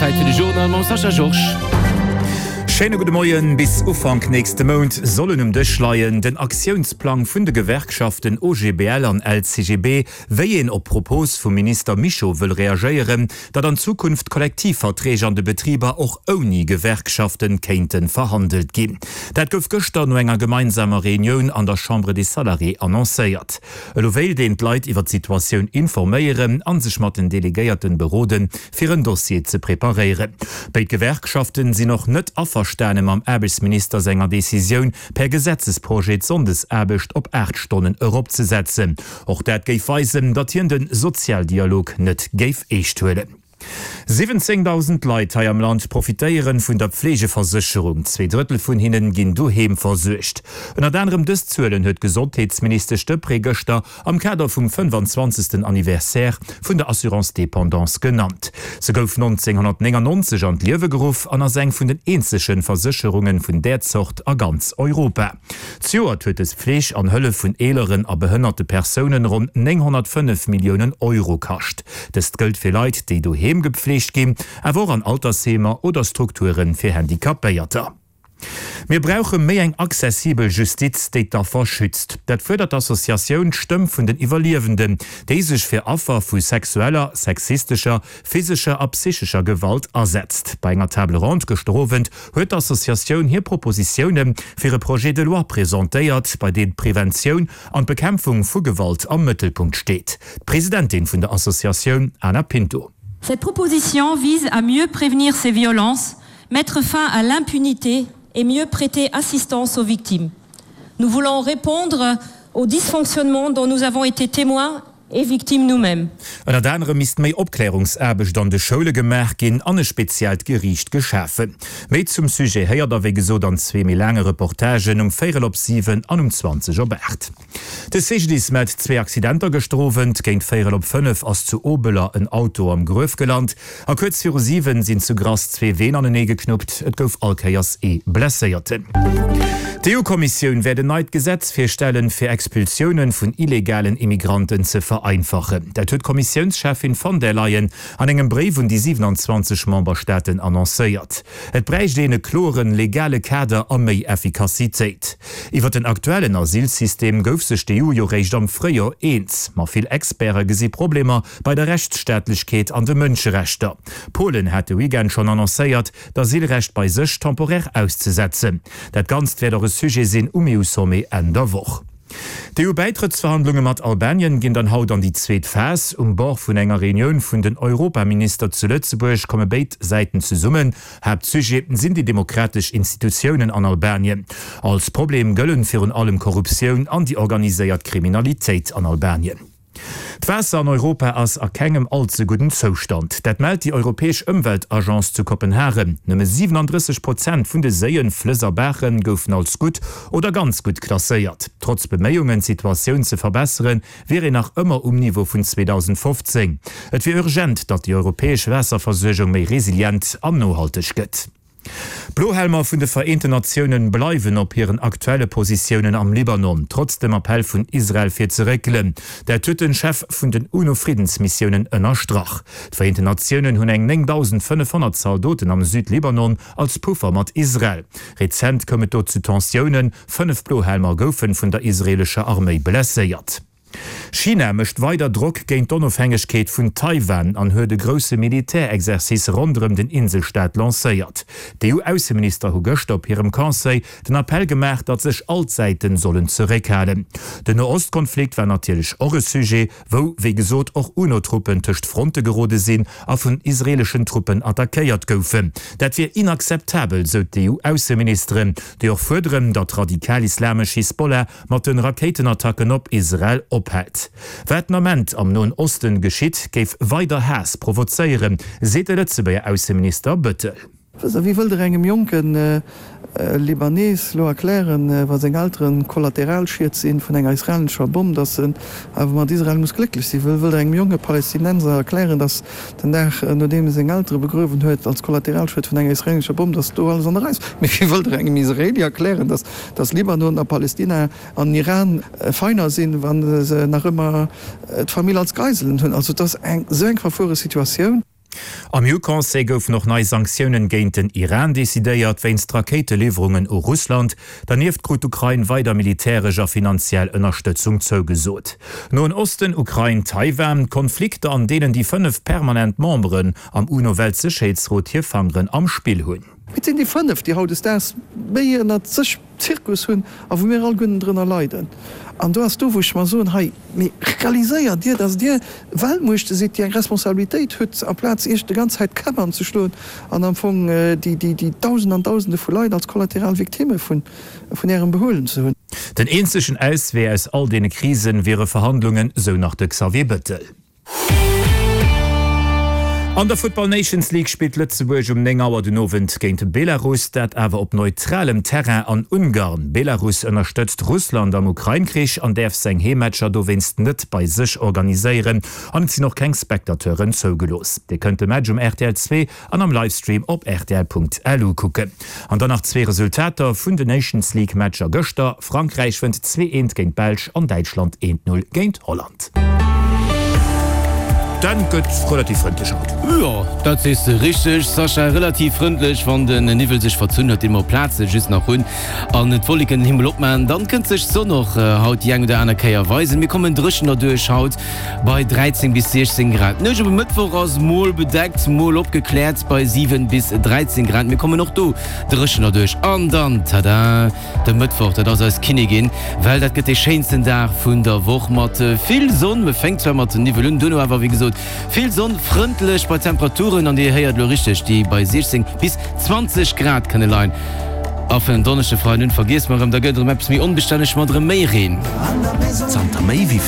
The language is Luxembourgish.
Zäit fir de Journal mam Sascha Georges. Schéine gudde Moien. Bis Ufank nächste Mount sollen um Dësch leien, den Aktiounsplang vun de Gewerkschaften OGBL an LCGB, wéi een op d'Propos vum Minister Mischo wëll reagéieren, datt an Zukunft Kollektivverträg an de Betriber och ouni Gewerkschaften kéinte verhandelt ginn. Dat gouf gëschter no enger gemeinsamer Reunioun an der Chambre des Salariés annoncéiert. Elo wéilt een d'Leit iwwer d'Situatioun informéieren a sech mat den Delegéierten beroden, fir en Dossier ze preparéieren. Béid Gewerkschaften sinn och net averstane mam Aarbechtsminister senger Decisioun, per Gesetzesprojet d'Sonndesaarbecht op 8 Stonnen eropzesetzen. Och dat géif weisen, datt hien de Sozialdialog net géif eescht huelen. 17.000 Leit hei am Land profitéieren vun der Pflegeversécherung. Zweedrëttel vun hinnen ginn doheem versuergt. Ënnert anerem dës Zuelen huet d'Gesondheetsministesch Deprez gëschter am Kader vum 25. Anniversaire vun der Assurance Dépendance genannt. Se gouf 1999 an d'Liewe geruff an ass eng vun den eenzege Versécherunge vun där Zort a ganz Europa. Zejoert huet dës Pfleg an Hëllef vun eeleren a behënnerte Persounen ronn 905 Milliounen Euro kascht. Dëst gëllt fir Leit, déi doheem gepflegt ginn, awer och an Altersheemer oder Strukture fir Handicapéierter. Mir brauche méi eng accessibel Justiz, déi d'Affer schützt. Dat fuerdert d'Associatioun D'Stëmm vun den Iwwerliewenden, déi sech fir Affer vu sexueller, sexistescher, physescher a psychescher Gewalt asetzt. Bei enger Table ronde gëschter Owend huet d'Associatioun hir Propositioune fir e Projet de loi presentéiert, bei deem d'Preventioun an d'Bekämpfung vu Gewalt am Mëttelpunkt steet. D'Presidentin vun der Associatioun, Ana Pinto. Cette proposition vise à mieux prévenir ces violences, mettre fin à l'impunité et mieux prêter assistance aux victimes. Nous voulons répondre aux dysfonctionnements dont nous avons été témoins et victimes nous-mêmes. Ënnert anerem misst méi Opklärungsaarbecht an de Schoule gemaach ginn an e speziellt Geriicht geschafen. Méi zum Sujet héiert der wéi gesot an zwee méi laange Reportagen um véierel op 7 an um 20 op 8. De CGDIS mellt zwee Accidenter gëschter Owend. Géint véierel op 5 ass zu Obeler en Auto am Gruef gelant a kuerz viru 7 sinn zu Grass zwee Ween anenee geknuppt. Et gouf all Kéiers ee Blesséierten. D'EU-Kommissioun wäert en neit Gesetz virstellen, fir Expulsioune vun illegalen Immigranten ze vereinfachen. Dat huet d'Kommissiounscheffin von der Leyen an engem Bréif un déi 27 Memberstaaten annoncéiert. Et bräicht een e kloren legale Kader a méi Effikassitéit. Iwwer den aktuellen Asylsystem gouf sech d'EU jo réischt am Fréijor eens. Ma vill Experte gesi Problemer bei der Rechtsstaatlechkeet an de Mënscherechter. Polen hat de Weekend schonn annoncéiert, d'Asylrecht bei sech temporär auszesetzen. Dat Ganzt wäert och e Sujet sinn um EU-Sommet Enn der Woch. D'EU-Bäitrëttsverhandlunge mat Albanien ginn dann haut an déi zweet Phas. Um Bord vun enger Reunioun vun den Europaminister zu Lëtzebuerg komme béid Säiten zesummen. Haaptsujet sinn déi demokratesch Institutiounen an Albanien. Als Problem gëllen virun allem Korruptioun an déi organiséiert Kriminalitéit an Albanien. D'Waasser an Europa ass a kengem all ze gudden Zoustand. Dat mellt déi europäesch Ëmweltagence zu Kopenhagen. Nëmme 37 Prozent vun de Séien, Flëss a Baache goufen als gutt oder ganz gutt klasséiert. Trotz Beméiungen, d'Situatioun ze verbesseren, wier een nach ëmmer um Niveau vun 2015. Et wier urgent, datt déi europäesch Waasserversuergung méi resilient an nohalteg gëtt. D'Blohelmer vun de Vereenten Natiounen bleiwen op hiren aktuelle Positiounen am Libanon, trotz dem Appell vun Israel fir ze réckelen. Dat huet den Chef vun den UNO-Friddensmissiounen ënnerstrach. D'Vereenten Natiounen hunn eng 9.500 Zaldoten am Südlibanon als Puffer mat Israel. Rezent koum et do zu Tensiounen, 5 Blohelmer goufen vun der israeelescher Arméi blesséiert. China mécht weider Drock géint d'Onofhängegkeet vun Taiwan an huet e grousse Militärexercice ronderëm den Inselstaat lancéiert. D'EU-Ausseminister hu gëschter op hirem Conseil den Appell gemaach, datt sech all d'Säiten sollen zeréckhalen. Den No-Ost-Konflikt war natierlech och e Sujet, wou wéi gesot och UNO-Truppen tëscht Fronte gerode sinn a vun israeeleschen Truppen attackéiert goufen. Dat wier inakzeptabel, sou d'EU-Ausseministeren, déi och fuerderen, datt radikal-islamesch Hisbollah mat den Rakéitenattacken op Israel ophält. Wat den Ament am Noen Osten geschitt, géif weider Haass provozéieren, seet de Lëtzebuerger Ausseminister Bëttel. Wéi wëllt Der engem jonke Libanees lo erklären, wa seng Elteren Kollateralschied sinn vun enger israelnescher Bomm, dass en awer mat Israel muss glécklech sinn? Wéi wëllt Der engem jonke Palästinenser erklären, dass den Dag nodeem e seng Eltere begruewen huet, als Kollateralschued vun enger israelnescher Bomm, dass do alles an der Rei ass? Mee wéi wëllt Der engem Israeli erklären, dass Dass Libanon a Palestina an Iran Feiner sinn, wa se nach ëmmer d'Famill als Geiselen hunn. Also et ass eng esou eng verfuere Situatioun. Am EU-Conseil goufen och nei Sanktiounen géint den Iran decidéiert, wéinst Rakéiteliwwerungen u Russland. Dernieft krut d'Ukrain weider militäresch a finanziell Ënnerstëtzung zougesot. Noen Osten, Ukrain, Taiwan, Konflikter an deenen déi 5 permanent Memberen am UNO-Weltsécherheetsrot hir Fangeren am Spill hunn. Et sinn déi 5, déi hautdesdaags méi ënnert sech Zirkus hunn a wou mir alleguerten drënner leiden. An do ass do, wou ech mer soen, hei, mee realiséiert Dir, datt Dir Weltmuechte sidd, déi eng Responsabilitéit hutt, amplaz Iech de ganz Zäit d'Käpp anzeschloen an am Fong déi Dausende an Dausende vu Leit als kollateral Victimme vun Ärem Behuelen ze hunn. Den eenzegen Auswee aus all deene Krisen wiere Verhandlungen, sou nach de Xavier Bettel. An der Football Nations League spillt Lëtzebuerg um 9 Auer den Owend géint Belarus, dat awer op neutralem Terrain an Ungarn. Belarus ënnerstëtzt Russland am Ukrain-Krich an däerf seng Heemmatcher dowéinst net bei sech organiséieren an et sinn och keng Spectateuren zougelooss. Dir kënnt de Match um rtl 2 an am Livestream op rtl.lu kucken. An dann nach zwee Resultater vun de Nations League Matcher gëschter, Frankräich wënnt 2 eent géint d'Belsch an Däitschland eent Null géint Holland. D'Enn gëtt relativ frëndlech haut. Jo, dat sees de richteg, Sascha. Relativ frëndlech, wann den Niwwel sech verzunn huet, dee mer op Plaze just nach hunn, an d'Wolleken den Himmel opmaachen, dann kënnt sech d'Sonn och haut déi eng oder aner Kéier weisen. Mir kommen dréchen derduerch haut bei 13 bis 16 Grad. D'Nuecht op e Mëttwoch ass mol bedeckt, mol opgekläert bei 7 bis 13 Grad. Mir kommen och do dréchen derduerch. An dann, tada! De Mëttwoch, dat ass eis Kinnigin, well dat gëtt dee schéinsten Dag vun der Woch mat vill Sonn. Me fänkt zwar mat Niwwel un, duerno awer wéi gesot vill Sonn, frëndlech bei Temperaturen, an Dir héiert elo richteg, déi bei 16 bis 20 Grad kënne leien. A vun en Donneschde, Freiden un, vergiesst mer erëm, da gëtt et erëm eppes méi onbestänneg mat erëm méi Reen. Zanter méi wéi.